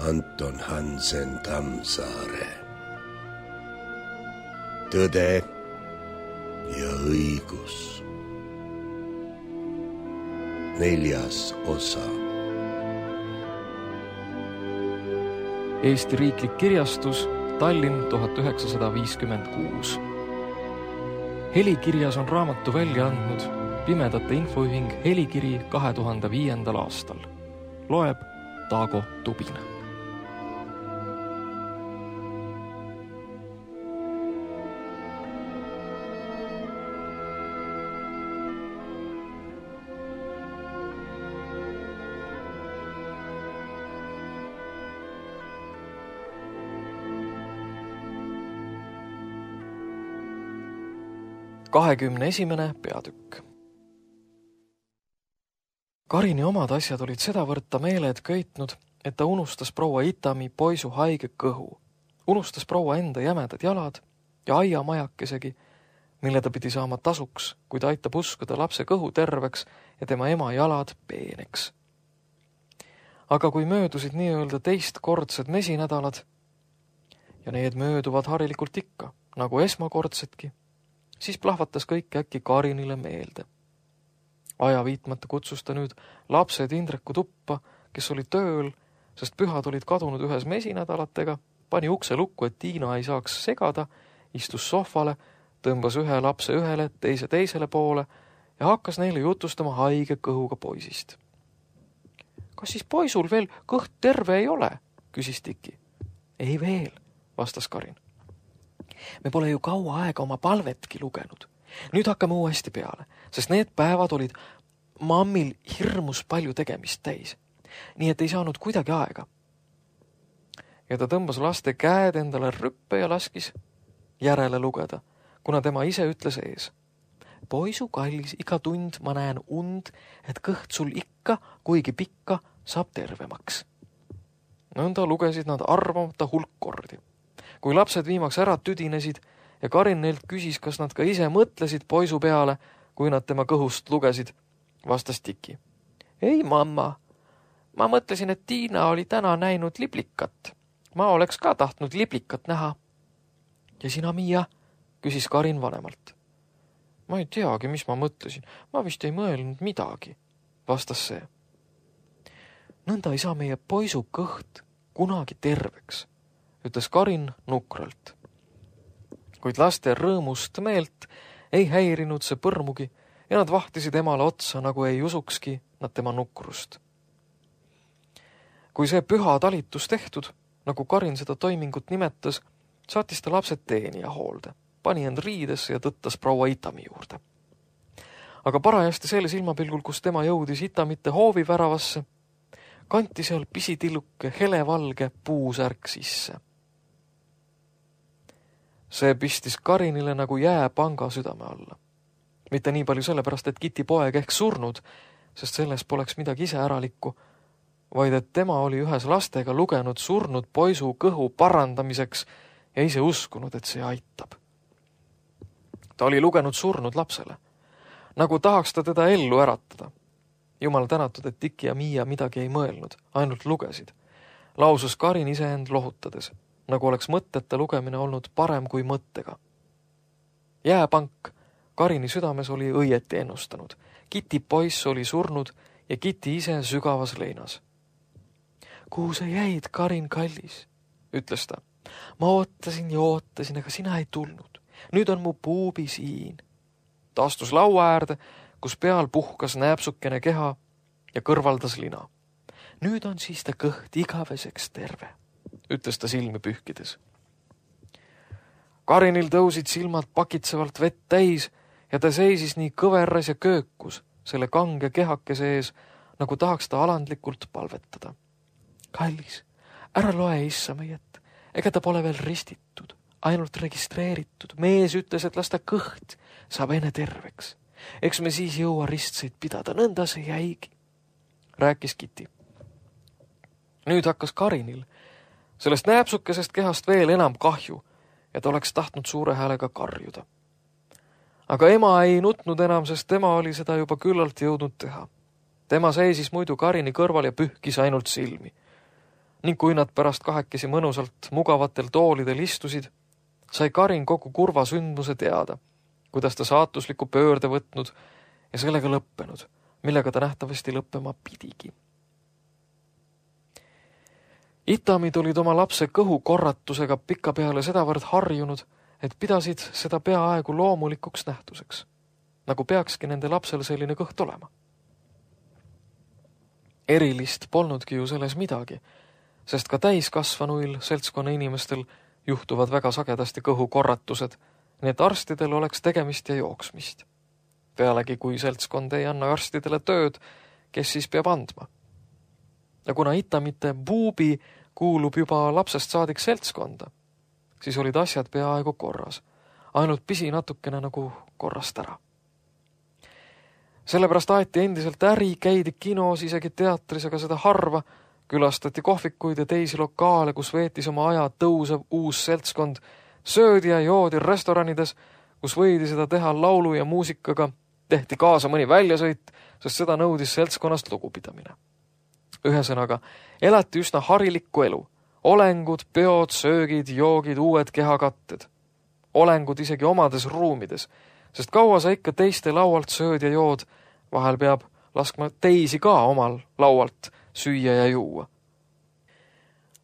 Anton Hansen Tammsaare. Tõde ja õigus. 4. osa. Eesti Riiklik Kirjastus, Tallinn 1956. Helikirjas on raamatu välja andnud Pimedate Infoühing Helikiri 2005. aastal. Loeb Taago Tubin. Esimene peatükk. Karini omad asjad olid sedavõrd ta meeled köitnud, et ta unustas proua Itami poisu haige kõhu, unustas proua enda jämedad jalad ja aiamajakesegi, mille ta pidi saama tasuks, kui ta aitab uskuda lapse kõhu terveks ja tema ema jalad peeneks. Aga kui möödusid nii-öelda teistkordsed mesinädalad, ja need mööduvad harilikult ikka, nagu esmakordsedki, siis plahvatas kõik äkki Karinile meelde. Aja viitmata kutsus ta nüüd lapsed Indreku tuppa, kes oli tööl, sest pühad olid kadunud ühes mesinädalatega, pani ukse lukku, et Tiina ei saaks segada, istus sohvale, tõmbas ühe lapse ühele, teise teisele poole ja hakkas neile jutustama haige kõhuga poisist. Kas siis poisul veel kõht terve ei ole? Küsis Tiki. Ei veel, vastas Karin. Me pole ju kaua aega oma palvetki lugenud. Nüüd hakkame uuesti peale, sest need päevad olid mammil hirmus palju tegemist täis. Nii et ei saanud kuidagi aega. Ja ta tõmbas laste käed endale rüppe ja laskis järele lugeda, kuna tema ise ütles ees. Poisu kallis, iga tund ma näen und, et kõht sul ikka, kuigi pikka, saab tervemaks. Nõnda lugesid nad arvamata hulk kordi. Kui lapsed viimaks ära tüdinesid ja Karin neilt küsis, kas nad ka ise mõtlesid poisu peale, kui nad tema kõhust lugesid, vastas Tiki. Ei, mamma. Ma mõtlesin, et Tiina oli täna näinud liblikat. Ma oleks ka tahtnud liblikat näha. Ja sina, Miia? Küsis Karin vanemalt. Ma ei teagi, mis ma mõtlesin. Ma vist ei mõelnud midagi, vastas see. Nõnda ei saa meie poisu kõht kunagi terveks, ütles Karin nukralt. Kuid laste rõõmust meelt ei häirinud see põrmugi ja nad vahtisid emale otsa, nagu ei usukski nad tema nukrust. Kui see püha talitus tehtud, nagu Karin seda toimingut nimetas, saatis ta lapsed teenija hoolde, pani end riidesse ja tõttas proua Itami juurde. Aga parajasti selle silmapilgul, kus tema jõudis Itamite hoovi väravasse, kanti seal pisitilluke helevalge puusärk sisse. See pistis Karinile nagu jääpanga südame alla. Mitte nii palju sellepärast, et Kiti poeg ehk surnud, sest selles poleks midagi iseäralikku, vaid et tema oli ühes lastega lugenud surnud poisu kõhu parandamiseks ja ise uskunud, et see aitab. Ta oli lugenud surnud lapsele, nagu tahaks ta teda ellu äratada. Jumal tänatud, et Tiki ja Miia midagi ei mõelnud, ainult lugesid. Lausus Karin iseend lohutades, nagu oleks mõtteta lugemine olnud parem kui mõttega. Jääpank Karini südames oli õieti ennustanud. Kiti poiss oli surnud ja Kiti ise sügavas leinas. Kuhu sa jäid, Karin kallis, ütles ta. Ma ootasin ja ootasin, aga sina ei tulnud. Nüüd on mu puubi siin. Ta astus laua äärde, kus peal puhkas nääpsukene keha ja kõrvaldas lina. Nüüd on siis ta kõht igaveseks terve, ütles ta silmi pühkides. Karinil tõusid silmad pakitsevalt vett täis ja ta seisis nii kõveras ja köökus selle kange kehakese ees, nagu tahaks ta alandlikult palvetada. Kallis, ära loe issa meiet, ega ta pole veel ristitud, ainult registreeritud. Mees ütles, et las ta kõht saab enne terveks. Eks me siis jõua ristseid pidada, nõnda see jäigi, rääkis Kiti. Nüüd hakkas Karinil sellest nääpsukesest kehast veel enam kahju, et oleks tahtnud suure häälega karjuda. Aga ema ei nutnud enam, sest tema oli seda juba küllalt jõudnud teha. Tema seisis muidu Karini kõrval ja pühkis ainult silmi. ning kui nad pärast kahekesi mõnusalt mugavatel toolidel istusid, sai Karin kogu kurva sündmuse teada, kuidas ta saatusliku pöörde võtnud ja sellega lõppenud, millega ta nähtavasti lõppema pidigi. Itami tulid oma lapse kõhu korratusega pikapeale sedavõrd harjunud, et pidasid seda peaaegu loomulikuks nähtuseks, nagu peakski nende lapsel selline kõht olema. Erilist polnudki ju selles midagi, sest ka täiskasvanuil seltskonna inimestel juhtuvad väga sagedasti kõhu korratused, nii et arstidel oleks tegemist ja jooksmist. Pealegi, kui seltskond ei anna arstidele tööd, kes siis peab andma? Ja kuna Itamite buubi kuulub juba lapsest saadik seltskonda, siis olid asjad peaaegu korras, ainult pisi natukene nagu korrast ära. Sellepärast aeti endiselt äri, käidi kinos, isegi teatris, aga seda harva, külastati kohvikuid ja teisi lokaale, kus veetis oma aja tõusev uus seltskond, söödi ja joodi restoranides, kus võidi seda teha laulu ja muusikaga, tehti kaasa mõni väljasõit, sest seda nõudis seltskonnast lugupidamine. Ühesõnaga, elati üsna harilikku elu. Olengud, peod, söögid, joogid, uued kehakatted. Olengud isegi omades ruumides, sest kaua sa ikka teiste laualt sööd ja jood, vahel peab laskma teisi ka omal laualt süüa ja juua.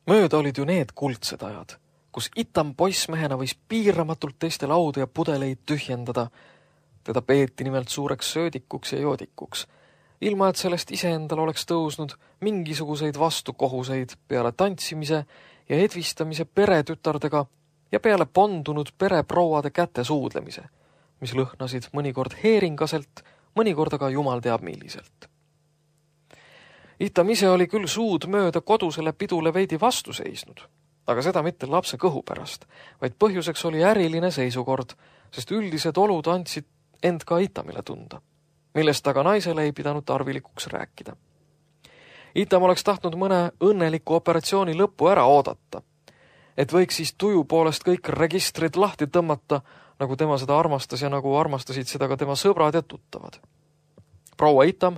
Mööda olid ju need kuldsed ajad, kus Itam poissmehena võis piiramatult teiste laudu ja pudeleid tühjendada. Teda peeti nimelt suureks söödikuks ja joodikuks, ilma et sellest iseendal oleks tõusnud mingisuguseid vastukohuseid peale tantsimise ja edvistamise peretütardega ja peale pondunud pereprouade käte suudlemise, mis lõhnasid mõnikord heeringaselt, mõnikord aga jumal teab milliselt. Itam ise oli küll suud mööda kodusele pidule veidi vastu seisnud, aga seda mitte lapse kõhu pärast, vaid põhjuseks oli äriline seisukord, sest üldised olud andsid end ka Itamile tunda, millest aga naisele ei pidanud tarvilikuks rääkida. Itam oleks tahtnud mõne õnneliku operatsiooni lõppu ära oodata, et võiks siis tuju poolest kõik registrid lahti tõmmata, nagu tema seda armastas ja nagu armastasid seda ka tema sõbrad ja tuttavad. Proua Itam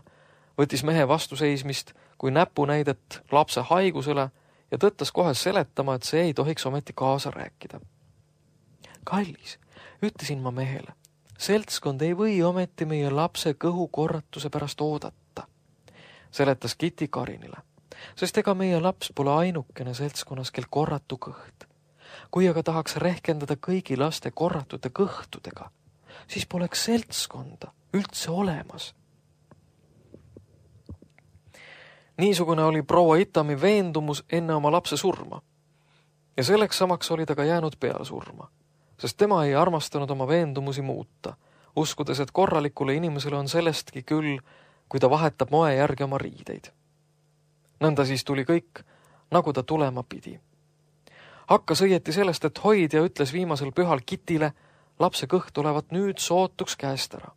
võttis mehe vastuseismist kui näpunäidet lapse haigusele ja tõttas kohe seletama, et see ei tohiks ometi kaasa rääkida. Kallis, ütlesin ma mehele, seltskond ei või ometi meie lapse kõhu korratuse pärast oodata, seletas Kitty Karinile, sest ega meie laps pole ainukene seltskonnas, kel korratu kõht. Kui aga tahaks rehkendada kõigi laste korratute kõhtudega, siis poleks seltskonda üldse olemas. Niisugune oli proua Itami veendumus enne oma lapse surma ja selleks samaks oli ta ka jäänud peale surma, sest tema ei armastanud oma veendumusi muuta, uskudes, et korralikule inimesele on sellestki küll, kui ta vahetab moe järgi oma riideid. Nõnda siis tuli kõik, nagu ta tulema pidi. Hakkas õieti sellest, et hoidja ütles viimasel pühal Kitile lapse kõht olevat nüüd sootuks käest ära.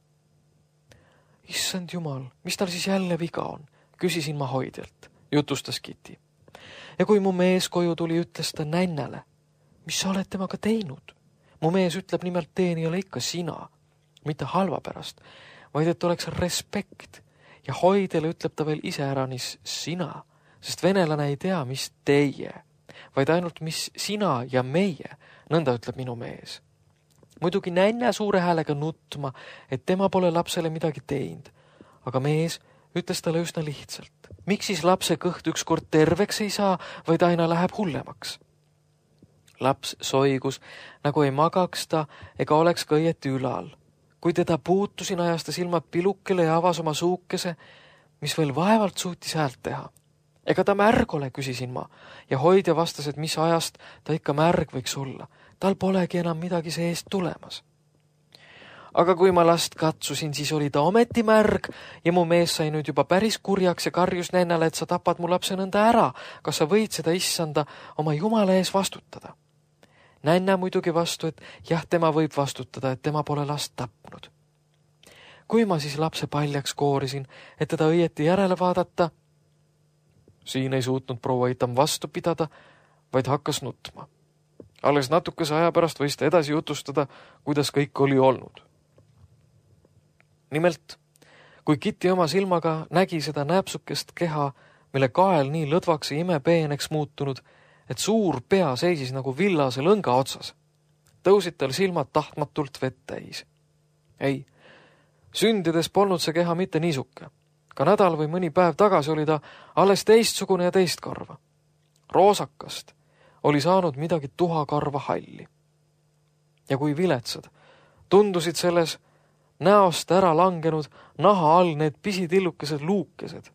Issand jumal, mis tal siis jälle viga on? Küsisin ma hoidjalt, jutustas Kitty. Ja kui mu mees koju tuli, ütles ta nännale, mis sa oled temaga teinud? Mu mees ütleb nimelt teenijale ikka sina, mitte halva pärast, vaid et oleks respekt ja hoidjale ütleb ta veel iseäranis sina, sest venelane ei tea, mis teie, vaid ainult mis sina ja meie, nõnda ütleb minu mees. Muidugi nänna suure häälega nutma, et tema pole lapsele midagi teinud, aga mees ütles talle üsna lihtsalt. Miks siis lapse kõht ükskord terveks ei saa, vaid aina läheb hullemaks? Laps soigus, nagu ei magaks ta ega oleks ka õieti ülal. Kui teda puutusin, ajas ta silmad pilukele ja avas oma suukese, mis veel vaevalt suutis häält teha. Ega ta märg ole, küsisin ma, ja hoidja vastas, et mis ajast ta ikka märg võiks olla. Tal polegi enam midagi seest tulemas. Aga kui ma last katsusin, siis oli ta ometi märg ja mu mees sai nüüd juba päris kurjaks ja karjus nännale, et sa tapad mu lapse nõnda ära. Kas sa võid seda issanda oma jumala ees vastutada? Nänna muidugi vastu, et jah, tema võib vastutada, et tema pole last tapnud. Kui ma siis lapse paljaks koorisin, et teda õieti järele vaadata, siin ei suutnud proua Itam vastu pidada, vaid hakkas nutma. Alles natukese aja pärast võis ta edasi jutustada, kuidas kõik oli olnud. Nimelt, kui Kitty oma silmaga nägi seda näpsukest keha mille kael nii lõdvaks ja imepeeneks muutunud, et suur pea seisis nagu villase lõnga otsas. Tõusid tal silmad tahtmatult vett täis. Ei, sündides polnud see keha mitte niisuke. Ka nädal või mõni päev tagasi oli ta alles teistsugune ja teist karva. Roosakast oli saanud midagi tuhakarva halli. Ja kui viletsad tundusid selles näost ära langenud naha all need pisitillukesed luukesed.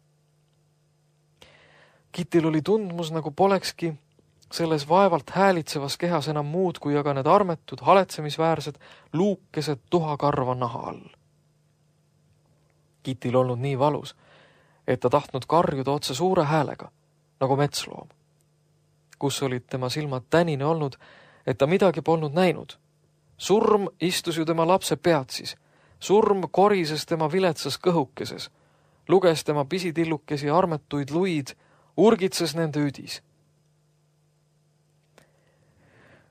Kitil oli tundmus, nagu polekski selles vaevalt häälitsevas kehas enam muud, kui aga need armetud, haletsemisväärsed luukesed tuhakarva naha all. Kitil olnud nii valus, et ta tahtnud karjuda otse suure häälega, nagu metsloom. Kus olid tema silmad tänine olnud, et ta midagi polnud näinud. Surm istus ju tema lapse peatsis. Surm korises tema viletsas kõhukeses, luges tema pisitillukesi armetuid luid, urgitses nende üdis.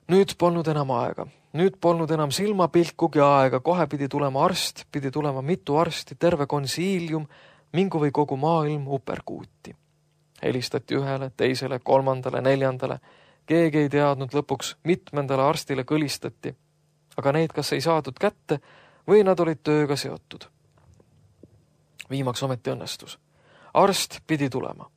Nüüd polnud enam aega. Nüüd polnud enam silmapilkugi aega, kohe pidi tulema arst, pidi tulema mitu arsti, terve konsiilium, mingu või kogu maailm uperkuuti. Helistati ühele, teisele, kolmandale, neljandale. Keegi ei teadnud lõpuks, mitmendale arstile kõlistati, aga neid kas ei saadud kätte või nad olid tööga seotud. Viimaks ometi õnnestus. Arst pidi tulema.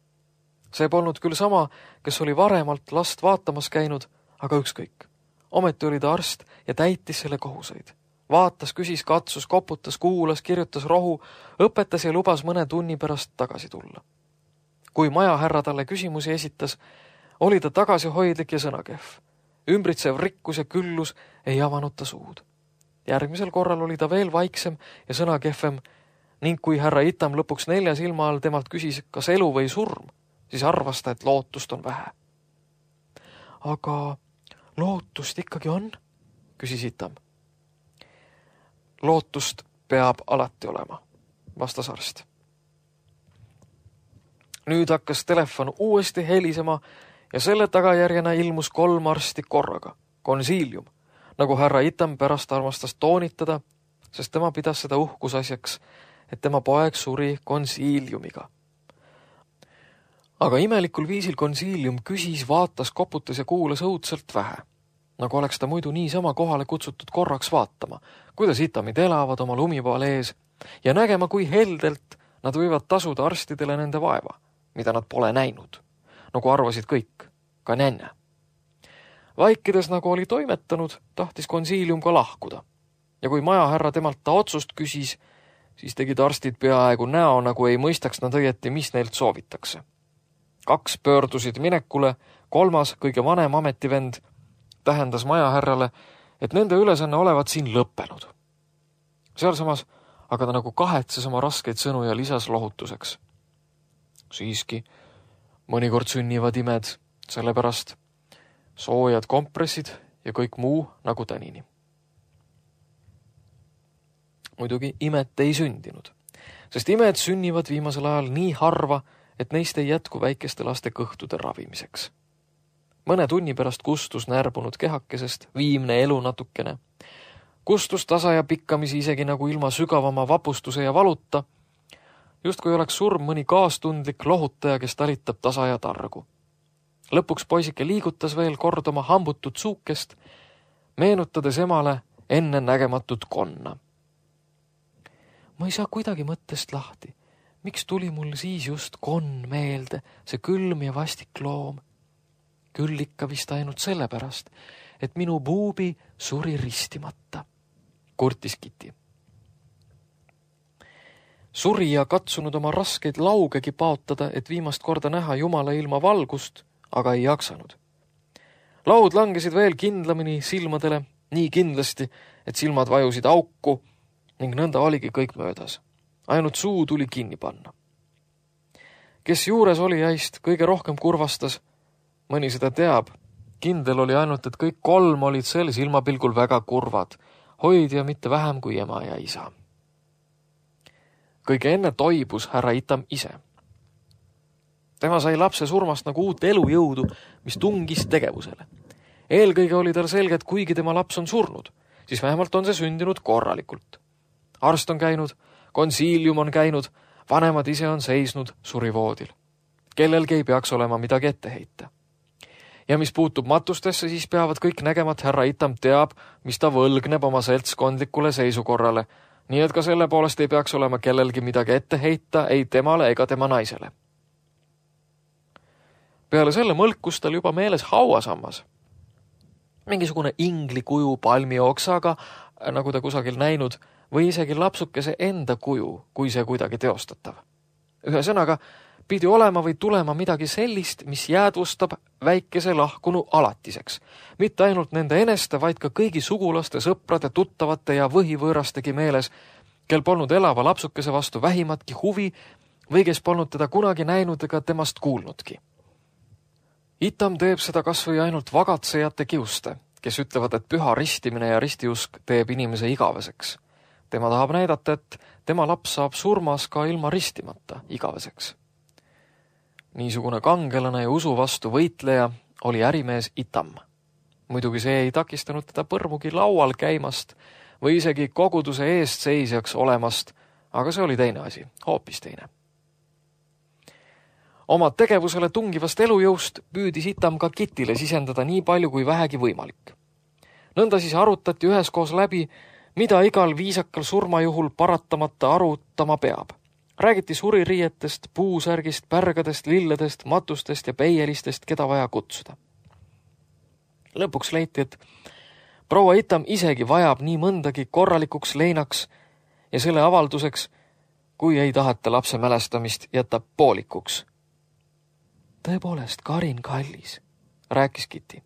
See polnud küll sama, kes oli varemalt last vaatamas käinud, aga ükskõik. Ometi oli ta arst ja täitis selle kohuseid. Vaatas, küsis, katsus, koputas, kuulas, kirjutas rohu, õpetas ja lubas mõne tunni pärast tagasi tulla. Kui majahärra talle küsimusi esitas, oli ta tagasihoidlik ja sõnakehv. Ümbritsev rikkus ja küllus ei avanud ta suud. Järgmisel korral oli ta veel vaiksem ja sõnakehvem ning kui härra Itam lõpuks 4 silma all temalt küsis, kas elu või surm, siis arvas ta, et lootust on vähe. Aga lootust ikkagi on? Küsis Itam. Lootust peab alati olema, vastas arst. Nüüd hakkas telefon uuesti helisema ja selle tagajärjena ilmus 3 arsti korraga, konsiilium, nagu härra Itam pärast armastas toonitada, sest tema pidas seda uhkusasjaks, et tema poeg suri konsiiliumiga. Aga imelikul viisil konsiilium küsis, vaatas, koputas ja kuulas õudselt vähe, nagu oleks ta muidu niisama kohale kutsutud korraks vaatama, kuidas Itamid elavad oma lumipaal ees ja nägema, kui heldelt nad võivad tasuda arstidele nende vaeva, mida nad pole näinud, nagu arvasid kõik, ka nänne. Vaikides, nagu oli toimetanud, tahtis konsiilium ka lahkuda. Ja kui majahärra temalt ta otsust küsis, siis tegid arstid peaaegu näo, nagu ei mõistaks nad õieti, mis neilt soovitakse. 2 pöördusid minekule, 3, kõige vanem ametivend, tähendas majahärrale, et nende ülesanne olevat siin lõppenud. Sealsamas aga ta nagu kahetses oma raskeid sõnu ja lisas lohutuseks. Siiski, mõnikord sünnivad imed, sellepärast soojad kompressid ja kõik muu nagu tänini. Muidugi imet ei sündinud, sest imed sünnivad viimasel ajal nii harva, et neist ei jätku väikeste laste kõhtude ravimiseks. Mõne tunni pärast kustus närbunud kehakesest viimne elu natukene. Kustus tasa ja pikkamisi isegi nagu ilma sügavama vapustuse ja valuta, justkui oleks surm mõni kaastundlik lohutaja, kes talitab tasa ja targu. Lõpuks poisike liigutas veel kord oma hambutud suukest, meenutades emale enne nägematut konna. Ma ei saa kuidagi mõttest lahti. Miks tuli mul siis just konn meelde, see külm ja vastik loom? Küll ikka vist ainult sellepärast, et minu buubi suri ristimata, kurtis Kiti. Suri ja katsunud oma raskeid laugegi paotada, et viimast korda näha Jumala ilma valgust, aga ei jaksanud. Laud langesid veel kindlamini silmadele, nii kindlasti, et silmad vajusid auku ning nõnda oligi kõik möödas. Ainult suu tuli kinni panna. Kes juures oli jäist, kõige rohkem kurvastas, mõni seda teab. Kindel oli ainult, et kõik 3 olid sel silmapilgul väga kurvad, hoidja mitte vähem kui ema ja isa. Kõige enne toibus härra Itam ise. Tema sai lapse surmast nagu uut elujõudu, mis tungis tegevusele. Eelkõige oli tal selge, et kuigi tema laps on surnud, siis vähemalt on see sündinud korralikult. Arst on käinud, konsiilium on käinud, vanemad ise on seisnud surivoodil. kellelgi ei peaks olema midagi ette heita. Ja mis puutub matustesse, siis peavad kõik nägema, et härra Itam teab, mis ta võlgneb oma seltskondlikule seisukorrale, nii et ka selle poolest ei peaks olema kellelgi midagi ette heita ei temale ega tema naisele. Peale selle mõlkus tal juba meeles hauasammas. Mingisugune ingli kuju palmi oksaga, nagu ta kusagil näinud, või isegi lapsukese enda kuju, kui see kuidagi teostatav. Ühesõnaga, pidi olema või tulema midagi sellist, mis jäädvustab väikese lahkunu alatiseks. Mitte ainult nende eneste, vaid ka kõigi sugulaste, sõprade, tuttavate ja võhivõõrastegi meeles, kel polnud elava lapsukese vastu vähimatki huvi või kes polnud teda kunagi näinud ega temast kuulnudki. Itam teeb seda kas või ainult vagatsejate kiuste, kes ütlevad, et püha ristimine ja ristiusk teeb inimese igaveseks. Tema tahab näidata, et tema laps saab surmas ka ilma ristimata igaveseks. Niisugune kangelane ja usu vastu võitleja oli ärimees Itam. Muidugi see ei takistanud teda põrmugi laual käimast või isegi koguduse eestseisjaks olemast, aga see oli teine asi, hoopis teine. Oma tegevusele tungivast elujõust püüdis Itam ka Kitile sisendada nii palju kui vähegi võimalik. Nõnda siis arutati üheskoos läbi, mida igal viisakal surmajuhul paratamata arutama peab. Räägiti suririietest, puusärgist, pärgadest, lilledest, matustest ja peielistest, keda vaja kutsuda. Lõpuks leiti, et proua Itam isegi vajab nii mõndagi korralikuks leinaks ja selle avalduseks, kui ei taheta lapse mälestamist jätta poolikuks. Tõepoolest, Karin kallis, rääkis Kitty.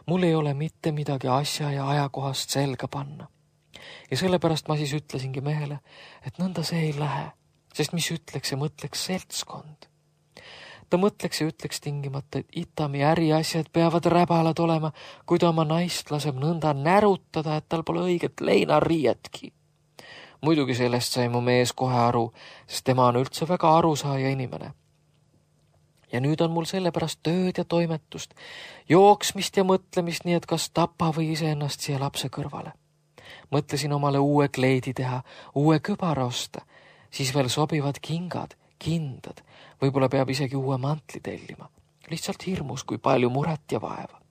Mul ei ole mitte midagi asja ja ajakohast selga panna. Ja sellepärast ma siis ütlesingi mehele, et nõnda see ei lähe, sest mis ütleks ja mõtleks seltskond. Ta mõtleks ja ütleks tingimata, et Itami äriasjad peavad räbalad olema, kui ta oma naist laseb nõnda närutada, et tal pole õiget leinariietki. Muidugi sellest sai mu mees kohe aru, sest tema on üldse väga arusaaja inimene. Ja nüüd on mul sellepärast tööd ja toimetust, jooksmist ja mõtlemist, nii et kas tapa või iseennast siia lapse kõrvale. Mõtlesin omale uue kleidi teha, uue kübara osta, siis veel sobivad kingad, kindad, võib-olla peab isegi uue mantli tellima. Lihtsalt hirmus, kui palju muret ja vaeva.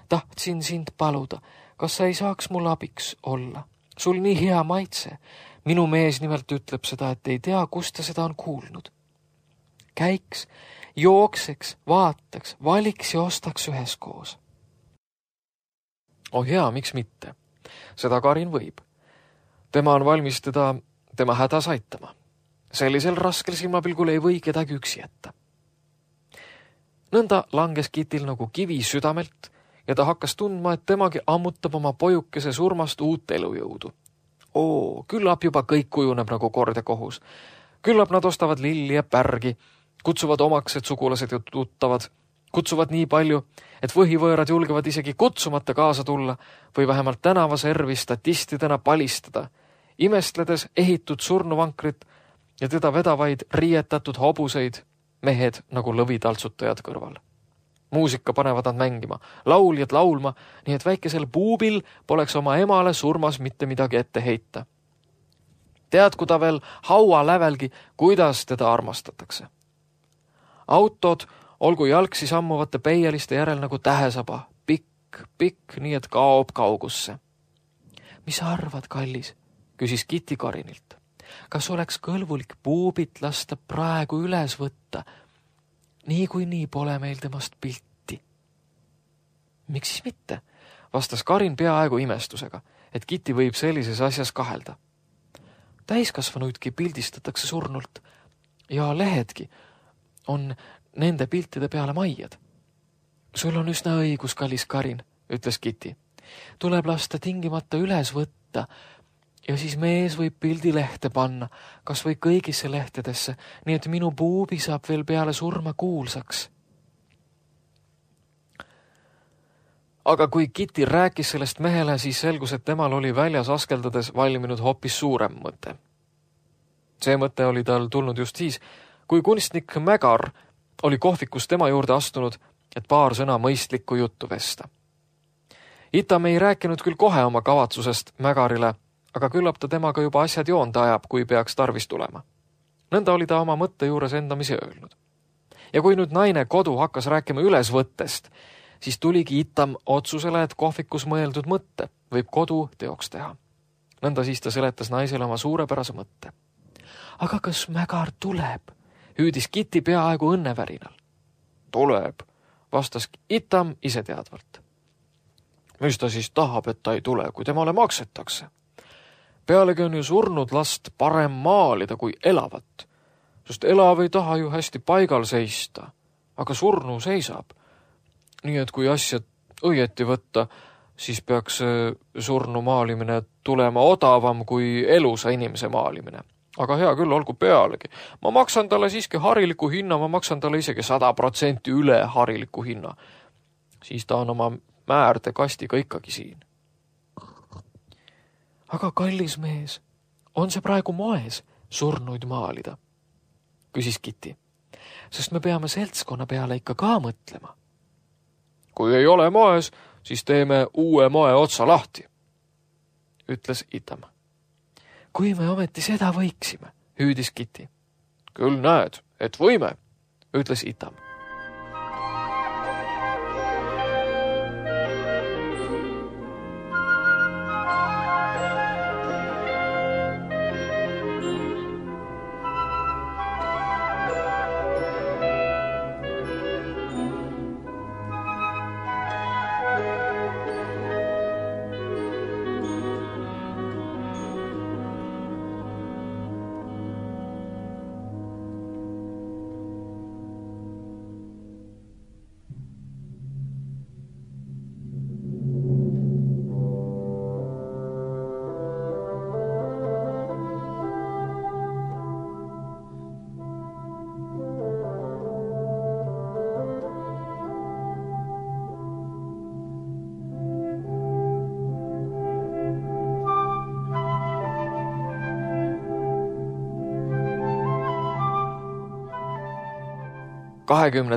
Tahtsin sind paluda, kas sa ei saaks mul abiks olla? Sul nii hea maitse. Minu mees nimelt ütleb seda, et ei tea, kust ta seda on kuulnud. Käiks, jookseks, vaataks, valiks ja ostaks üheskoos. Oh hea, miks mitte? Seda Karin võib. Tema on valmis teda tema hädas aitama. Sellisel raskel silmapilgul ei või kedagi üksi jätta. Nõnda langes Kitil nagu kivi südamelt ja ta hakkas tundma, et temagi ammutab oma pojukese surmast uut elujõudu. Küllap juba kõik kujuneb nagu kord ja kohus. Küllap nad ostavad lilli ja pärgi, kutsuvad omaksed sugulased ja tuttavad, kutsuvad nii palju, et võhivõõrad julgevad isegi kutsumata kaasa tulla või vähemalt tänavaservi statistidena palistada, imestledes ehitud surnuvankrit ja teda vedavaid riietatud hobuseid, mehed nagu lõvitaltsutajad kõrval. Muusika panevad nad mängima, lauljad laulma, nii et väikesel puubil poleks oma emale surmas mitte midagi ette heita. Teadku ta veel haua lävelgi, kuidas teda armastatakse. Autod olgu jalgsi sammuvate peieliste järel nagu tähesaba, pikk, nii et kaob kaugusse. Mis sa arvad, kallis? Küsis Kitty Karinilt. Kas oleks kõlvulik puubit lasta praegu üles võtta? Nii pole meil temast pilti. Miks siis mitte? Vastas Karin peaaegu imestusega, et Kitty võib sellises asjas kahelda. Täiskasvanuidki pildistatakse surnult ja lehedki on nende piltide peale maiad. Sul on üsna õigus, kallis Karin, ütles Kitty. Tuleb lasta tingimata üles võtta ja siis mees võib pildi lehte panna, kas või kõigisse lehtedesse, nii et minu puubi saab veel peale surma kuulsaks. Aga kui Kitty rääkis sellest mehele, siis selgus, et temal oli väljas askeldades valminud hoopis suurem mõte. See mõte oli tal tulnud just siis, kui kunstnik Mägar oli kohvikus tema juurde astunud, et paar sõna mõistlikku juttu vesta. Itam ei rääkinud küll kohe oma kavatsusest Mägarile, aga küllap ta temaga juba asjad joonda ajab, kui peaks tarvis tulema. Nõnda oli ta oma mõtte juures endamisi öelnud. Ja kui nüüd naine kodu hakkas rääkima ülesvõttest, siis tuligi Itam otsusele, et kohvikus mõeldud mõtte võib kodu teoks teha. Nõnda siis ta seletas naisele oma suurepärase mõtte. Aga kas Mägar tuleb? Hüüdis Kitty peaaegu õnnevärinal. Tuleb, vastas Itam iseteadvalt. Mis ta siis tahab, et ta ei tule, kui temale maksetakse? Pealegi on ju surnud last parem maalida kui elavat, sest elav ei taha ju hästi paigal seista, aga surnu seisab. Nii et kui asja õieti võtta, siis peaks surnu maalimine tulema odavam kui elusa inimese maalimine. Aga hea küll, olgu pealegi. Ma maksan talle siiski hariliku hinna, ma maksan talle isegi 100% üle hariliku hinna. Siis ta on oma määrde kastiga ikkagi siin. Aga kallis mees, on see praegu moes surnuid maalida? Küsis Kitty, sest me peame seltskonna peale ikka ka mõtlema. Kui ei ole moes, siis teeme uue moe otsa lahti, ütles Itam. Kui me ometi seda võiksime, hüüdis Kitty. Küll näed, et võime, ütles Itam.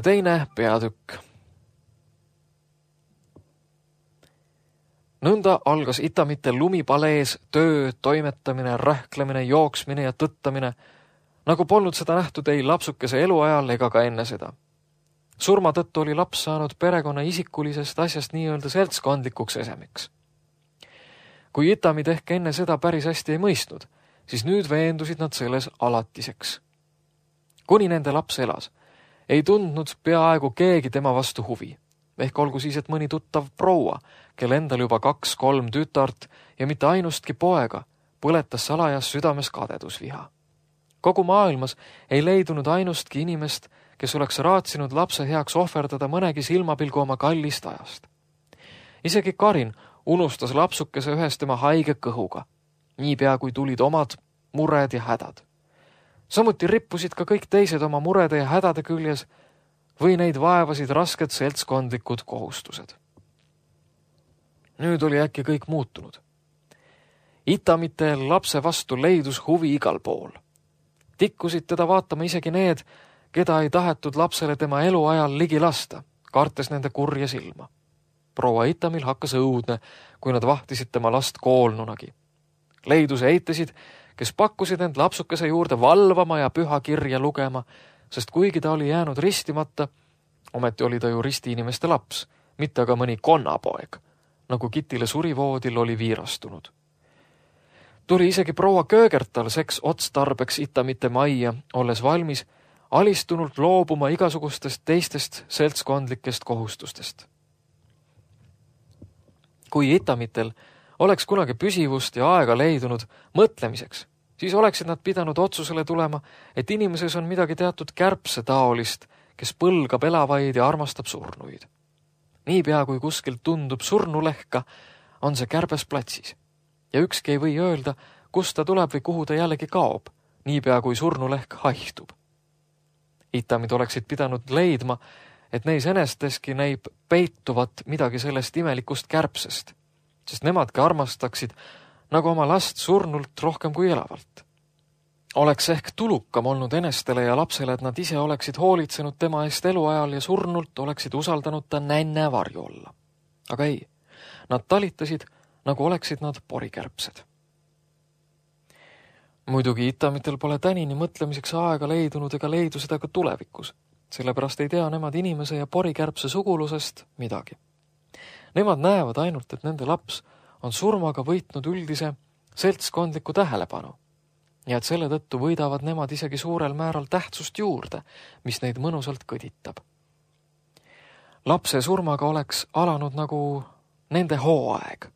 Teine peatükk. Nõnda algas Itamitel lumipalees töö, toimetamine, rähklemine, jooksmine ja tõttamine, nagu polnud seda nähtud ei lapsukese eluajal ega ka enne seda. Surma tõttu oli laps saanud perekonna isikulisest asjast nii-öelda seltskondlikuks esemiks. Kui Itamid ehk enne seda päris hästi ei mõistnud, siis nüüd veendusid nad selles alatiseks. Kuni nende laps elas, ei tundnud peaaegu keegi tema vastu huvi. Ehk olgu siis, et mõni tuttav proua, kel endal juba 2-3 tütart ja mitte ainustki poega, põletas salajas südames kadedusviha. Kogu maailmas ei leidunud ainustki inimest, kes oleks raatsinud lapse heaks ohverdada mõnegi silmapilgu oma kallist ajast. Isegi Karin unustas lapsukese ühes tema haige kõhuga, niipea kui tulid omad mured ja hädad. Samuti rippusid ka kõik teised oma murede ja hädade küljes või neid vaevasid rasked seltskondlikud kohustused. Nüüd oli äkki kõik muutunud. Itamite lapse vastu leidus huvi igal pool. Tikkusid teda vaatama isegi need, keda ei tahetud lapsele tema eluajal ligi lasta, kartes nende kurja silma. Proua Itamil hakkas õudne, kui nad vahtisid tema last koolnunagi. Leidus eitasid, kes pakkusid end lapsukese juurde valvama ja püha kirja lugema, sest kuigi ta oli jäänud ristimata, ometi oli ta ju risti inimeste laps, mitte aga mõni konnapoeg, nagu Kitile surivoodil oli viirastunud. Tuli isegi proua Köögertal seks otstarbeks Itamite majja, olles valmis alistunult loobuma igasugustest teistest seltskondlikest kohustustest. Kui Itamitel oleks kunagi püsivust ja aega leidunud mõtlemiseks, siis oleksid nad pidanud otsusele tulema, et inimeses on midagi teatud kärbse taolist, kes põlgab elavaid ja armastab surnuid. Niipea kui kuskilt tundub surnulehka, on see kärbes platsis. Ja ükski ei või öelda, kust ta tuleb või kuhu ta jällegi kaob, niipea kui surnulehk haihtub. Itamid oleksid pidanud leidma, et neis enesteski näib peituvat midagi sellest imelikust kärbsest, sest nemadki armastaksid nagu oma last surnult rohkem kui elavalt. Oleks ehk tulukam olnud enestele ja lapsele, et nad ise oleksid hoolitsenud tema eest eluajal ja surnult oleksid usaldanud ta nänne varju olla. Aga ei, nad talitasid, nagu oleksid nad porikärbsed. Muidugi Itamitel pole tänini mõtlemiseks aega leidunud ega leidu seda ka tulevikus, sellepärast ei tea nemad inimese ja porikärbse sugulusest midagi. Nemad näevad ainult, et nende laps on surmaga võitnud üldise seltskondliku tähelepanu ja et selle tõttu võidavad nemad isegi suurel määral tähtsust juurde, mis neid mõnusalt kõditab. Lapse surmaga oleks alanud nagu nende hooaeg.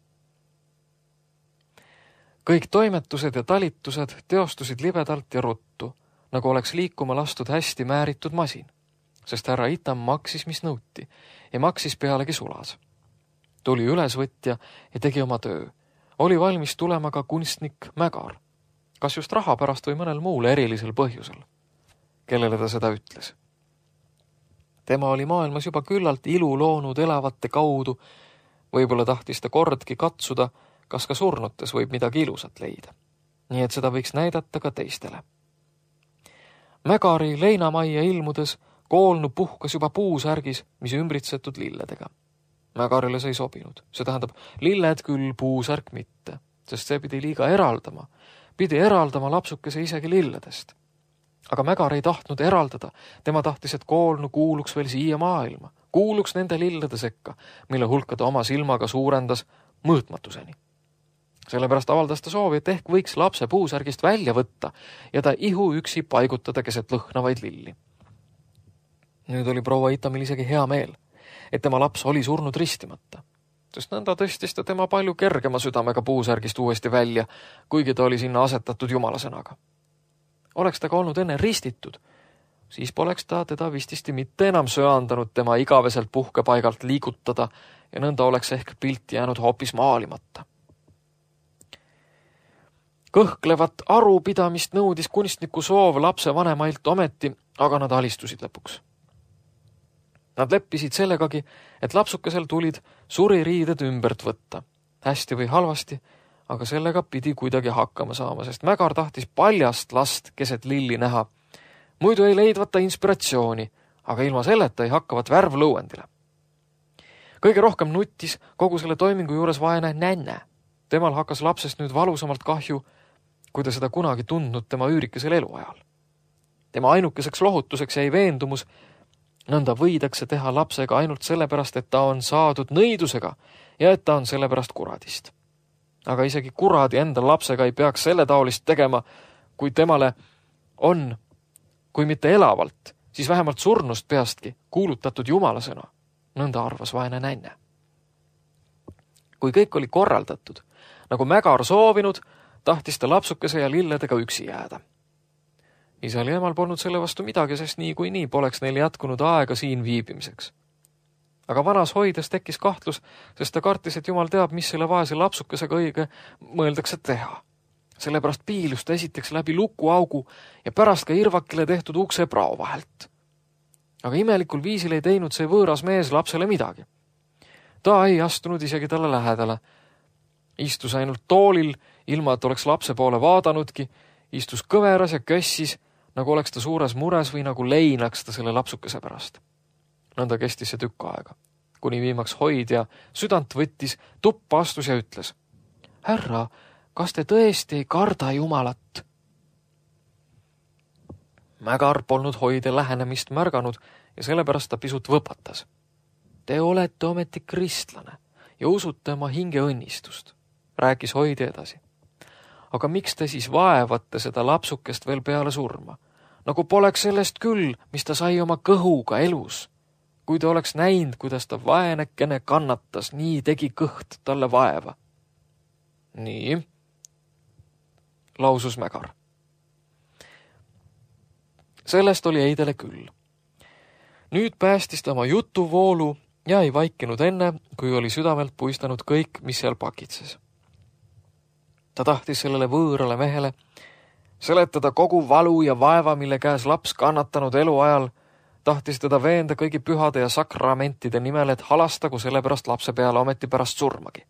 Kõik toimetused ja talitused teostusid libedalt ja ruttu, nagu oleks liikuma lastud hästi määritud masin, sest härra Itam maksis, mis nõuti, ja maksis pealegi sulas. Tuli ülesvõtja ja tegi oma töö. Oli valmis tulema ka kunstnik Mägar, kas just raha pärast või mõnel muul erilisel põhjusel, kellele ta seda ütles. Tema oli maailmas juba küllalt ilu loonud elavate kaudu, võib-olla tahtis ta kordki katsuda, kas ka surnutes võib midagi ilusat leida. Nii et seda võiks näidata ka teistele. Mägari leinamajja ilmudes koolnu puhkas juba puusärgis, mis ümbritsetud lilledega. Mägarile see ei sobinud. See tähendab, lilled küll, puusärk mitte, sest see pidi liiga eraldama. Pidi eraldama lapsukese isegi lilledest. Aga Mägar ei tahtnud eraldada. Tema tahtis, et koolnu kuuluks veel siia maailma. Kuuluks nende lillede sekka, mille hulka ta oma silmaga suurendas mõõtmatuseni. Sellepärast avaldas ta soovi, et ehk võiks lapse puusärgist välja võtta ja ta ihu üksi paigutada keset lõhnavaid lilli. Nüüd oli proua Itamil isegi hea meel, et tema laps oli surnud ristimata, sest nõnda tõstis ta tema palju kergema südamega puusärgist uuesti välja, kuigi ta oli sinna asetatud jumalasõnaga. Oleks ta ka olnud enne ristitud, siis poleks ta teda vististi mitte enam söandanud tema igaveselt puhkepaigalt liigutada ja nõnda oleks ehk pilt jäänud hoopis maalimata. Kõhklevat arupidamist nõudis kunstniku soov lapse vanemailt ometi, aga nad alistusid lõpuks. Nad leppisid sellegagi, et lapsukesel tulid suririided ümbert võtta. Hästi või halvasti, aga sellega pidi kuidagi hakkama saama, sest Mägar tahtis paljast last keset lilli näha. Muidu ei leidvata inspiratsiooni, aga ilma selleta ei hakkavat värv lõuendile. Kõige rohkem nuttis kogu selle toimingu juures vaene nänne. Temal hakkas lapsest nüüd valusamalt kahju, kui ta seda kunagi tundnud tema üürikesel eluajal. Tema ainukeseks lohutuseks jäi veendumus, nõnda võidakse teha lapsega ainult sellepärast, et ta on saadud nõidusega ja et ta on sellepärast kuradist. Aga isegi kuradi enda lapsega ei peaks selle taolist tegema, kui temale on, kui mitte elavalt, siis vähemalt surnust peastki kuulutatud jumalasõna, nõnda arvas vaene nänne. Kui kõik oli korraldatud, nagu Mägar soovinud, tahtis ta lapsukese ja lilledega üksi jääda. Isal ja emal polnud selle vastu midagi, sest nii kui nii poleks neil jätkunud aega siin viibimiseks. Aga vanas hoides tekkis kahtlus, sest ta kartis, et jumal teab, mis selle vaese lapsukesega õige mõeldakse teha. Sellepärast piilus ta esiteks läbi lukuaugu ja pärast ka irvakile tehtud ukse prao vahelt. Aga imelikul viisil ei teinud see võõras mees lapsele midagi. Ta ei astunud isegi talle lähedale. Istus ainult toolil, ilma et oleks lapse poole vaadanudki, istus kõveras ja kössis, nagu oleks ta suures mures või nagu leinaks ta selle lapsukese pärast. Nõnda kestis see tükk aega, kuni viimaks hoidja südant võttis, tuppa astus ja ütles: Härra, kas te tõesti ei karda Jumalat? Mägar polnud hoide lähenemist märganud ja sellepärast ta pisut võpatas. Te olete ometi kristlane ja usute oma hinge õnnistust, rääkis hoidja edasi. Aga miks te siis vaevate seda lapsukest veel peale surma? Nagu poleks sellest küll, mis ta sai oma kõhuga elus. Kui ta oleks näinud, kuidas ta vaenekene kannatas, nii tegi kõht talle vaeva. Nii, lausus Mägar. Sellest oli Eidele küll. Nüüd päästis ta oma jutuvoolu ja ei vaikinud enne, kui oli südamelt puistanud kõik, mis seal pakitses. Ta tahtis sellele võõrale mehele seletada kogu valu ja vaeva, mille käes laps kannatanud eluajal, tahtis teda veenda kõigi pühade ja sakramentide nimel, et halastagu sellepärast lapse peale ometi pärast surmagi.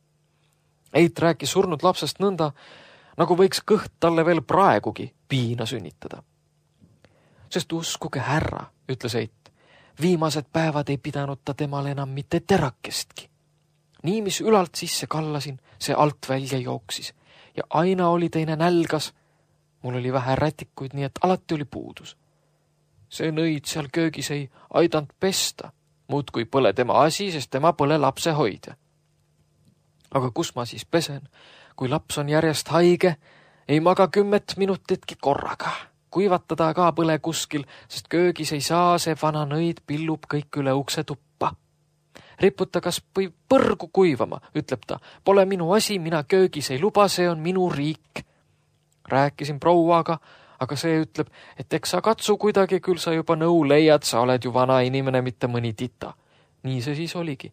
Eit rääkis surnud lapsest nõnda, nagu võiks kõht talle veel praegugi piina sünnitada. Sest uskuge härra, ütles Eit, viimased päevad ei pidanud ta temal enam mitte terakestki. Nii, mis ülalt sisse kallasin, see alt välja jooksis ja aina oli teine nälgas. Mul oli vähe rätikuid, nii et alati oli puudus. See nõid seal köögis ei aidanud pesta. Muudkui pole tema asi, sest tema pole lapse hoidja. Aga kus ma siis pesen? Kui laps on järjest haige, ei maga 10 minutitki korraga. Kuivatada ka põle kuskil, sest köögis ei saa, see vana nõid pillub kõik üle ukse tuppa. Riputa kas või põrgu kuivama, ütleb ta. Pole minu asi, mina köögis ei luba, see on minu riik. Rääkisin prouaga, aga see ütleb, et eks sa katsu kuidagi, küll sa juba nõu leiad, sa oled ju vana inimene, mitte mõni tita. Nii see siis oligi.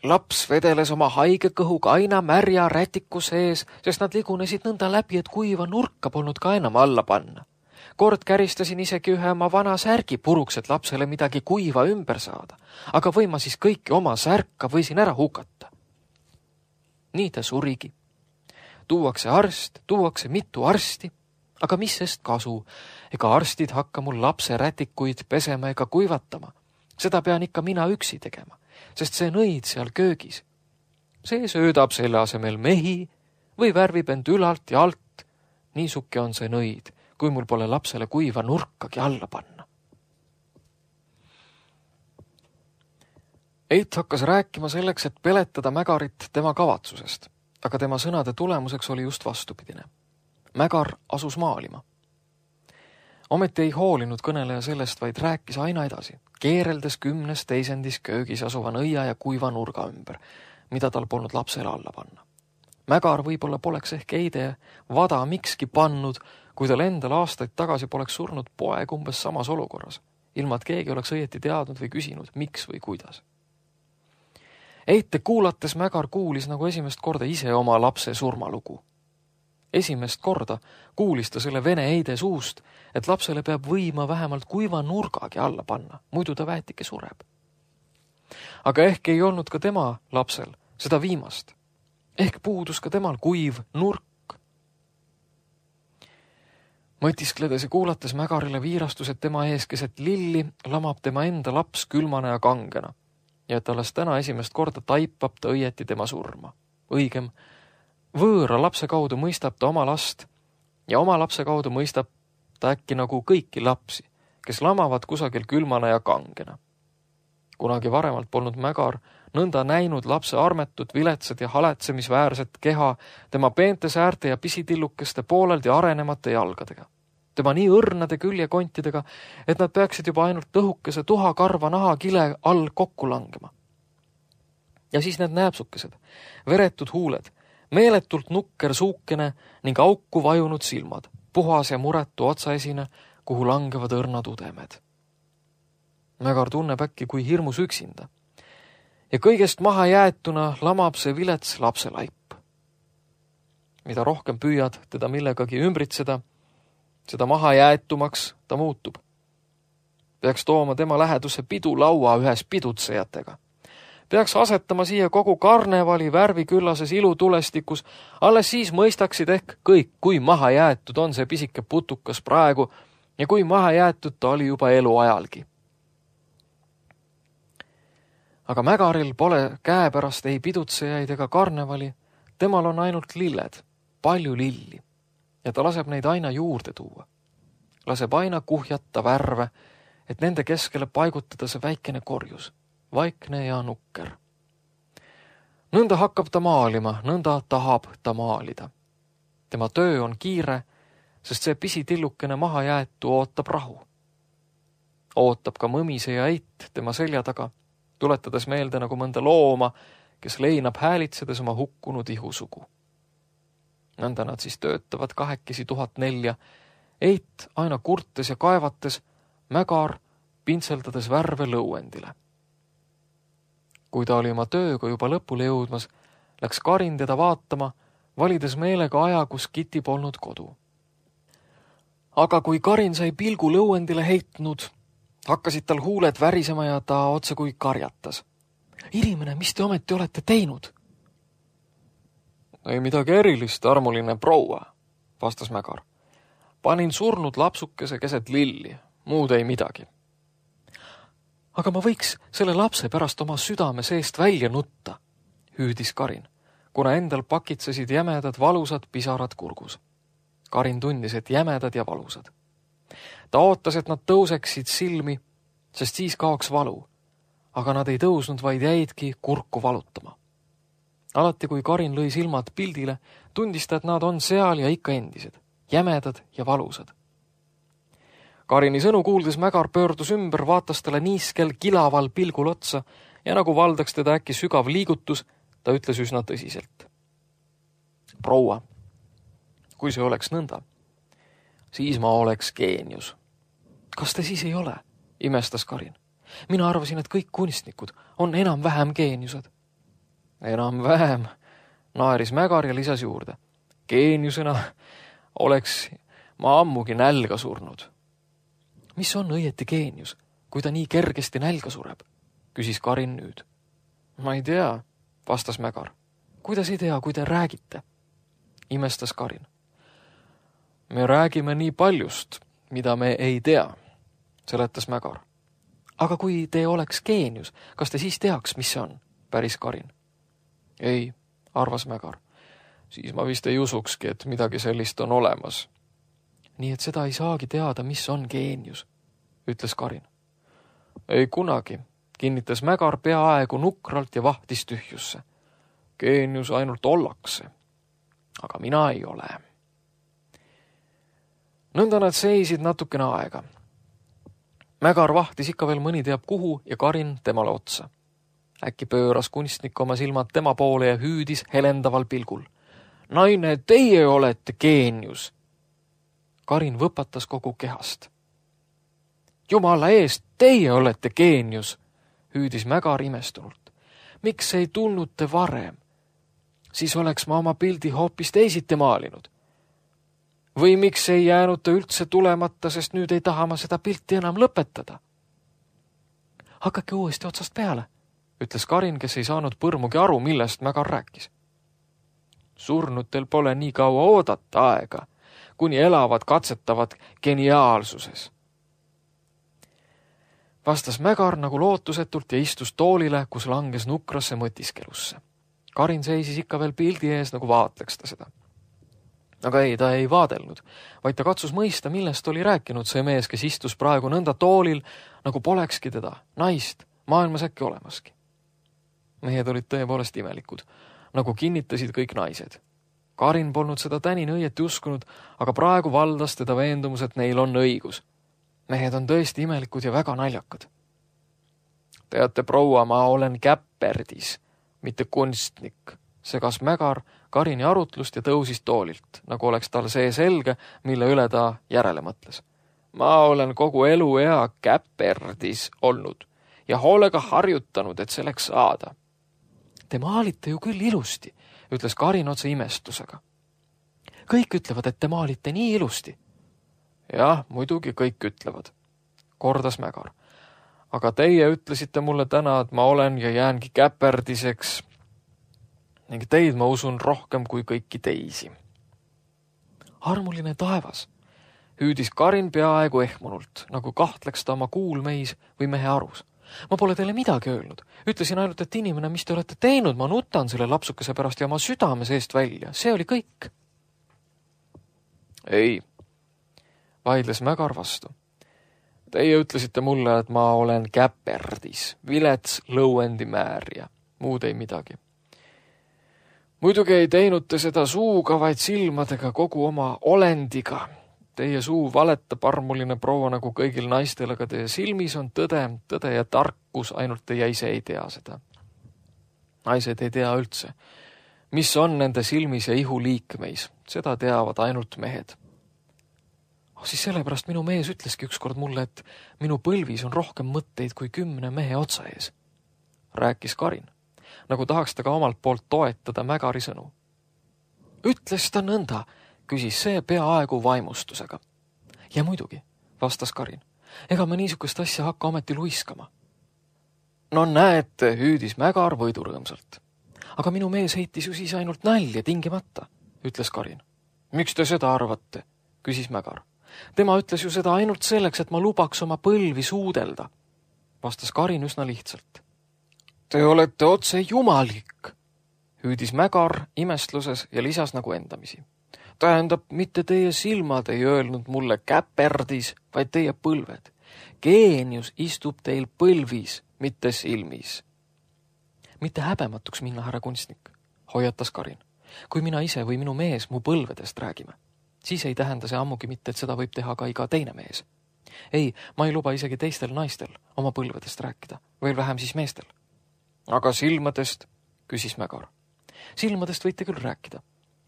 Laps vedeles oma haige kõhuga aina märja rätiku sees, sest nad ligunesid nõnda läbi, et kuiva nurka polnud ka enam alla panna. Kord käristasin isegi ühe oma vana särgi puruks, et lapsele midagi kuiva ümber saada. Aga või ma siis kõiki oma särka võisin ära hukata. Nii ta surigi. Tuuakse arst, tuuakse mitu arsti, aga mis sest kasu? Ega arstid hakka mul lapse rätikuid pesema ega kuivatama. Seda pean ikka mina üksi tegema, sest see nõid seal köögis. See söödab selle asemel mehi või värvib end ülalt ja alt. Niisuke on see nõid, kui mul pole lapsele kuiva nurkagi alla panna. Eit hakkas rääkima selleks, et peletada Mägarit tema kavatsusest, aga tema sõnade tulemuseks oli just vastupidine. Mägar asus maalima. Ometi ei hoolinud kõneleja sellest, vaid rääkis aina edasi, keereldes 10 teisendis köögis asuva nõia ja kuiva nurga ümber, mida tal polnud lapsele alla panna. Mägar võib-olla poleks ehk Eide vada mikski pannud, kui tal endal aastaid tagasi poleks surnud poeg umbes samas olukorras, ilma et keegi oleks õieti teadnud või küsinud, miks või kuidas. Eite kuulates Mägar kuulis nagu esimest korda ise oma lapse surmalugu. Esimest korda kuulis ta selle vene Eide suust, et lapsele peab võima vähemalt kuiva nurgagi alla panna, muidu ta väetike sureb. Aga ehk ei olnud ka tema lapsel seda viimast. Ehk puudus ka temal kuiv nurk. Mõtiskledes ja kuulates Mägarile viirastus, et tema ees keset lilli lamab tema enda laps külmana ja kangena ja et alles täna esimest korda taipab ta õieti tema surma. Õigem, võõra lapse kaudu mõistab ta oma last ja oma lapse kaudu mõistab ta äkki nagu kõiki lapsi, kes lamavad kusagil külmana ja kangena. Kunagi varemalt polnud Mägar nõnda näinud lapse armetut, viletsad ja haletsemisväärset keha tema peente säärte ja pisitillukeste pooleldi arenemata jalgadega. Tema nii õrnade küljekontidega, et nad peaksid juba ainult õhukese tuhakarva nahakile all kokku langema. Ja siis need nääpsukesed, veretud huuled, meeletult nukker suukene ning auku vajunud silmad, puhas ja muretu otsaesine, kuhu langevad õrnad udemed. Mägar tunneb äkki kui hirmus üksinda. Ja kõigest maha jäetuna lamab see vilets lapselaip. Mida rohkem püüad teda millegagi ümbritseda, seda maha jäetumaks ta muutub. Peaks tooma tema lähedusse pidulaua ühes pidutsejatega. Peaks asetama siia kogu karnevali värviküllases ilutulestikus, alles siis mõistaksid ehk kõik, kui maha jäetud on see pisike putukas praegu ja kui maha jäetud ta oli juba eluajalgi. Aga Mägaril pole käepärast ei pidutsejaid ega karnevali, temal on ainult lilled, palju lilli, ja ta laseb neid aina juurde tuua. Laseb aina kuhjata värve, et nende keskele paigutada see väikene korjus, vaikne ja nukker. Nõnda hakkab ta maalima, nõnda tahab ta maalida. Tema töö on kiire, sest see pisitillukene maha jäetu ootab rahu. Ootab ka mõmise ja Eit tema selja taga, tuletades meelde nagu mõnda looma, kes leinab häälitsedes oma hukkunud ihusugu. Nõnda nad siis töötavad 2004, Eit aina kurtes ja kaevates, Mägar pintseldades värve lõuendile. Kui ta oli oma tööga juba lõpule jõudmas, läks Karin teda vaatama, valides meelega aja, kus Kiti polnud kodu. Aga kui Karin sai pilgu lõuendile heitnud, hakkasid tal huuled värisema ja ta otse kui karjatas. Inimene, mis te ometi olete teinud? Ei midagi erilist, armuline proua, vastas Mägar. Panin surnud lapsukese keset lilli, muud ei midagi. Aga ma võiks selle lapse pärast oma südame seest välja nutta, hüüdis Karin, kuna endal pakitsesid jämedad valusad pisarad kurgus. Karin tundis, et jämedad ja valusad. Ta ootas, et nad tõuseksid silmi, sest siis kaoks valu. Aga nad ei tõusnud, vaid jäidki kurku valutama. Alati, kui Karin lõi silmad pildile, tundis ta, et nad on seal ja ikka endised, jämedad ja valusad. Karini sõnu kuuldes Mägar pöördus ümber, vaatas talle niiskel kilaval pilgul otsa ja nagu valdaks teda äkki sügav liigutus, ta ütles üsna tõsiselt. Proua, kui see oleks nõnda, siis ma oleks geenius. Kas te siis ei ole? Imestas Karin. Mina arvasin, et kõik kunstnikud on enam-vähem geeniused. Enam-vähem, naeris Mägar ja lisas juurde. Geeniusena oleks ma ammugi nälga surnud. Mis on õieti geenius, kui ta nii kergesti nälga sureb? Küsis Karin nüüd. Ma ei tea, vastas Mägar. Kuidas ei tea, kui te räägite? Imestas Karin. Me räägime nii paljust, mida me ei tea, seletas Mägar. Aga kui te oleks geenius, kas te siis teaks, mis see on? Päris Karin. Ei, arvas Mägar. Siis ma vist ei usukski, et midagi sellist on olemas. Nii et seda ei saagi teada, mis on geenius, ütles Karin. Ei kunagi, kinnitas Mägar peaaegu nukralt ja vahtis tühjusse. Geenius ainult ollakse, aga mina ei ole. Nõnda nad seisid natukene aega. Mägar vahtis ikka veel mõni teab kuhu ja Karin temale otsa. Äkki pööras kunstnik oma silmad tema poole ja hüüdis helendaval pilgul. Naine, teie olete geenius! Karin võpatas kogu kehast. Jumala eest, teie olete geenius! Hüüdis Mägar imestunult. Miks ei tulnud te varem? Siis oleks ma oma pildi hoopis teisiti maalinud. Või miks ei jäänud ta üldse tulemata, sest nüüd ei taha ma seda pilti enam lõpetada? Hakake uuesti otsast peale, ütles Karin, kes ei saanud põrmugi aru, millest Mägar rääkis. Surnutel pole nii kaua oodata aega, kuni elavad katsetavad geniaalsuses. Vastas Mägar nagu lootusetult ja istus toolile, kus langes nukrasse mõtiskelusse. Karin seisis ikka veel pildi ees, nagu vaatleks ta seda. Aga ei, ta ei vaadelnud, vaid ta katsus mõista, millest oli rääkinud see mees, kes istus praegu nõnda toolil, nagu polekski teda, naist, maailmas äkki olemaski. Mehed olid tõepoolest imelikud, nagu kinnitasid kõik naised. Karin polnud seda tänin õieti uskunud, aga praegu valdas teda veendumus, et neil on õigus. Mehed on tõesti imelikud ja väga naljakad. Teate, proua, ma olen käpperdis, mitte kunstnik, segas Mägar Karini arutlust ja tõusis toolilt, nagu oleks tal see selge, mille üle ta järele mõtles. Ma olen kogu eluea käpperdis olnud ja hoolega harjutanud, et selleks saada. Te maalite ju küll ilusti, ütles Karin otse imestusega. Kõik ütlevad, et te maalite nii ilusti. Jah, muidugi kõik ütlevad, kordas Mägar. Aga teie ütlesite mulle täna, et ma olen ja jäängi käperdiseks ning teid ma usun rohkem kui kõiki teisi. Armuline taevas, hüüdis Karin peaaegu ehmunult, nagu kahtleks ta oma kuulmeis või mehe arus. Ma pole teile midagi öelnud. Ütlesin ainult, et inimene, mis te olete teinud, ma nutan selle lapsukese pärast ja oma südame seest välja. See oli kõik. Ei, vaidles Mägar vastu. Teie ütlesite mulle, et ma olen käperdis, vilets lõuendimäärja, muud ei midagi. Muidugi ei teinud te seda suuga, vaid silmadega kogu oma olendiga. Teie suu valetab, armuline proua, nagu kõigil naistel, aga teie silmis on tõde ja tarkus, ainult teie ise ei tea seda. Naised ei tea üldse, mis on nende silmis ja ihu liikmeis. Seda teavad ainult mehed. Siis sellepärast minu mees ütleski ükskord mulle, et minu põlvis on rohkem mõtteid kui 10 mehe otsa ees. Rääkis Karin, nagu tahaks ta ka omalt poolt toetada Mägari sõnu. Ütles ta nõnda, küsis see peaaegu vaimustusega. Ja muidugi, vastas Karin, ega me niisugust asja hakka ometi luiskama. No näete, hüüdis Mägar võidurõõmsalt. Aga minu mees heitis ju siis ainult nalja tingimata, ütles Karin. Miks te seda arvate, küsis Mägar. Tema ütles ju seda ainult selleks, et ma lubaks oma põlvi suudelda, vastas Karin üsna lihtsalt. Te olete otse jumalik, hüüdis Mägar imestluses ja lisas nagu endamisi. Tähendab, mitte teie silmad ei öelnud mulle käperdis, vaid teie põlved. Geenius istub teil põlvis, mitte silmis. Mitte häbematuks minna, härra kunstnik, hoiatas Karin. Kui mina ise või minu mees mu põlvedest räägime, siis ei tähenda see ammugi mitte, et seda võib teha ka iga teine mees. Ei, ma ei luba isegi teistel naistel oma põlvedest rääkida, veel vähem siis meestel. Aga silmadest, küsis Mägar. Silmadest võite küll rääkida,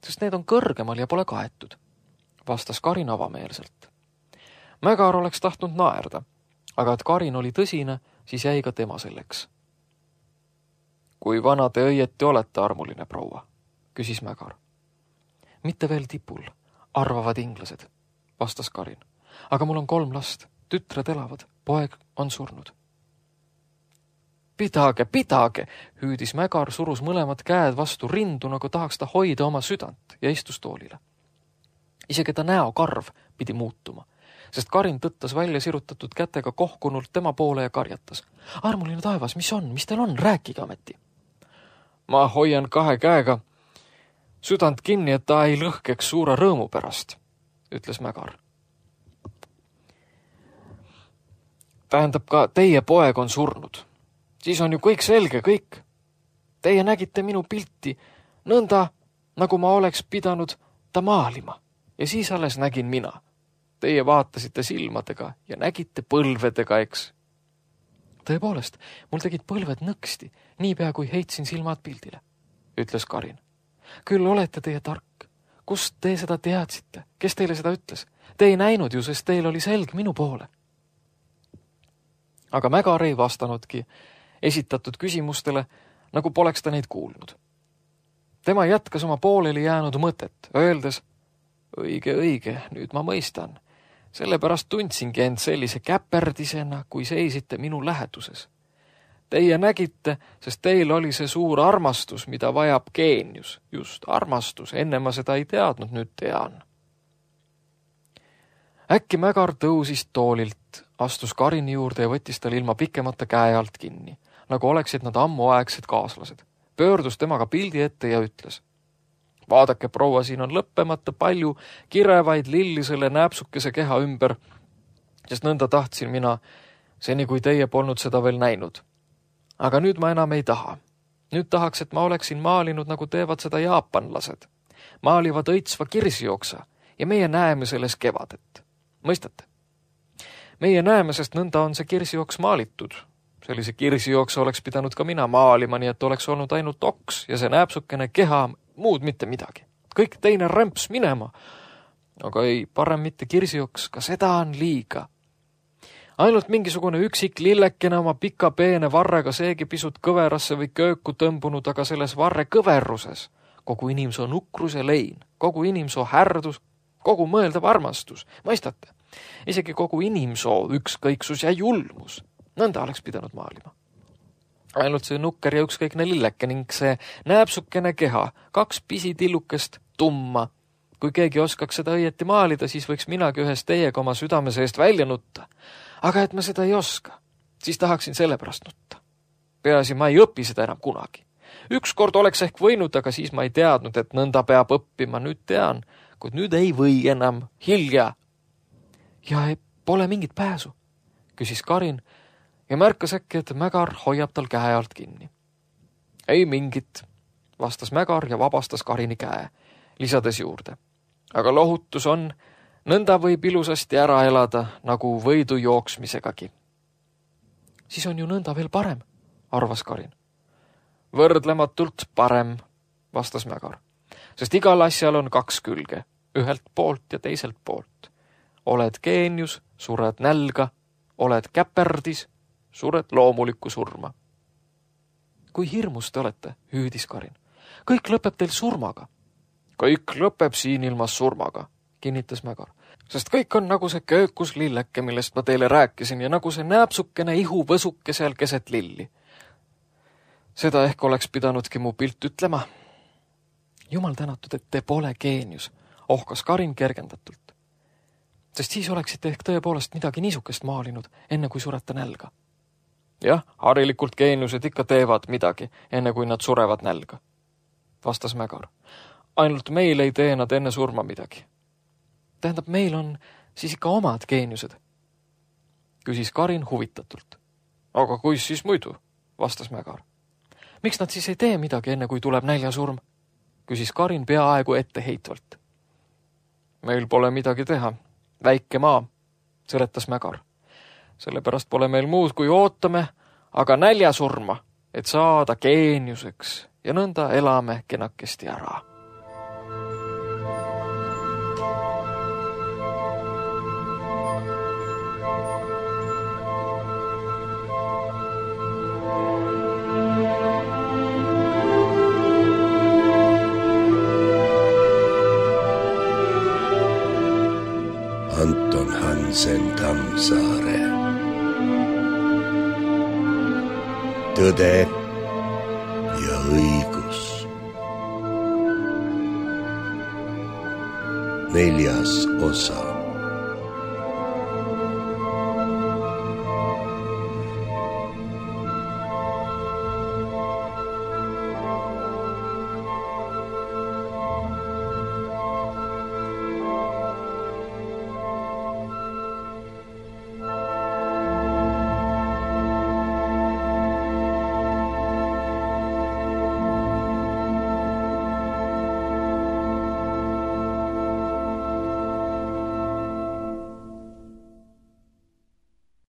sest need on kõrgemal ja pole kaetud, vastas Karin avameelselt. Mägar oleks tahtnud naerda, aga et Karin oli tõsine, siis jäi ka tema selleks. Kui vana te õieti olete, armuline proua, küsis Mägar. Mitte veel tipul, arvavad inglased, vastas Karin. Aga mul on 3 last, tütred elavad, poeg on surnud. Pidage, hüüdis Mägar, surus mõlemad käed vastu rindu, nagu tahaks ta hoida oma südant ja istus toolile. Isegi ta näokarv pidi muutuma, sest Karin tõttas välja sirutatud kätega kohkunult tema poole ja karjatas. Armuline taevas, mis on, mis teil on, rääkige ameti. Ma hoian 2 käega südant kinni, et ta ei lõhkeks suure rõõmu pärast, ütles Mägar. Tähendab, ka teie poeg on surnud. Siis on ju kõik selge, kõik. Teie nägite minu pilti nõnda, nagu ma oleks pidanud ta maalima. Ja siis alles nägin mina. Teie vaatasite silmadega ja nägite põlvedega, eks. Tõepoolest, mul tegid põlved nõksti, niipea kui heitsin silmad pildile, ütles Karin. Küll olete teie tark. Kust te seda teadsite? Kes teile seda ütles? Te ei näinud ju, sest teil oli selg minu poole. Aga Mägar ei vastanudki esitatud küsimustele, nagu poleks ta neid kuulnud. Tema jätkas oma pooleli jäänud mõtet, öeldes, õige, nüüd ma mõistan. Sellepärast tundsingi end sellise käperdisena, kui seisite minu läheduses. Teie nägite, sest teil oli see suur armastus, mida vajab geenius. Just armastus, enne ma seda ei teadnud, nüüd tean. Äkki Mägar tõusis toolilt, astus Karini juurde ja võttis tal ilma pikemata käe alt kinni, nagu oleksid nad ammuaegsed kaaslased. Pöördus temaga pildi ette ja ütles. Vaadake, proua, siin on lõppemata palju kirevaid lilli selle nääpsukese keha ümber, sest nõnda tahtsin mina, seni kui teie polnud seda veel näinud. Aga nüüd ma enam ei taha. Nüüd tahaks, et ma oleksin maalinud, nagu teevad seda jaapanlased. Maalivad õitsva kirsijooksa ja meie näeme selles kevadet. Mõistate? Meie näeme, sest nõnda on see kirsijooks maalitud. Sellise kirsijooksa oleks pidanud ka mina maalima, nii et oleks olnud ainult oks ja see nääpsukene keha, muud mitte midagi. Kõik teine rämps minema. Aga ei, parem mitte kirsijooks, ka seda on liiga. Ainult mingisugune üksik lillekene oma pika peene varrega seegi pisut kõverasse või kööku tõmbunud, aga selles varre kõverruses kogu inimsoo nukrus ja lein, kogu inimsoo härdus, kogu mõeldav armastus, mõistate? Isegi kogu inimsoo ükskõiksus ja julmus. Nõnda oleks pidanud maalima. Ainult see nukker ja ükskõikne lilleke ning see nääpsukene keha, 2 pisitillukest tumma. Kui keegi oskaks seda õieti maalida, siis võiks minagi ühes teiega oma südame seest välja nutta. Aga et ma seda ei oska, siis tahaksin sellepärast nutta. Peaasi, ma ei õpi seda enam kunagi. Ükskord oleks ehk võinud, aga siis ma ei teadnud, et nõnda peab õppima. Nüüd tean, kuid nüüd ei või enam. Hilja. Ja pole mingit pääsu, küsis Karin ja märkas äkki, et Mägar hoiab tal käe alt kinni. Ei mingit, vastas Mägar ja vabastas Karini käe, lisades juurde. Aga lohutus on, nõnda võib ilusasti ära elada, nagu võidu jooksmisegagi. Siis on ju nõnda veel parem, arvas Karin. Võrdlematult parem, vastas Mägar, sest igal asjal on 2 külge, ühelt poolt ja teiselt poolt. Oled geenius, sured nälga, oled käperdis, sured loomulikku surma. Kui hirmus te olete, hüüdis Karin. Kõik lõpeb teil surmaga. Kõik lõpeb siin ilmas surmaga, kinnitas Mägar, sest kõik on nagu see köökus lilleke, millest ma teile rääkisin ja nagu see nääpsukene ihuvõsuke seal keset lilli. Seda ehk oleks pidanudki mu pilt ütlema. Jumal tänatud, et te pole geenius, ohkas Karin kergendatult. Sest siis oleksite ehk tõepoolest midagi niisukest maalinud, enne kui surete nälga. Jah, harilikult geeniused ikka teevad midagi, enne kui nad surevad nälga, vastas Mägar. ainult meil ei tee nad enne surma midagi. Tähendab, meil on siis ikka omad geeniused, küsis Karin huvitatult. Aga kuis siis muidu, vastas Mägar. Miks nad siis ei tee midagi enne, kui tuleb näljasurm? Küsis Karin peaaegu etteheitvalt. Meil pole midagi teha. Väike maa, seletas Mägar. Sellepärast pole meil muud, kui ootame, aga näljasurma, et saada geeniuseks ja nõnda elame kenakesti ära. Anton Hansen Tammsaare. Tõde ja õigus. 4. osa.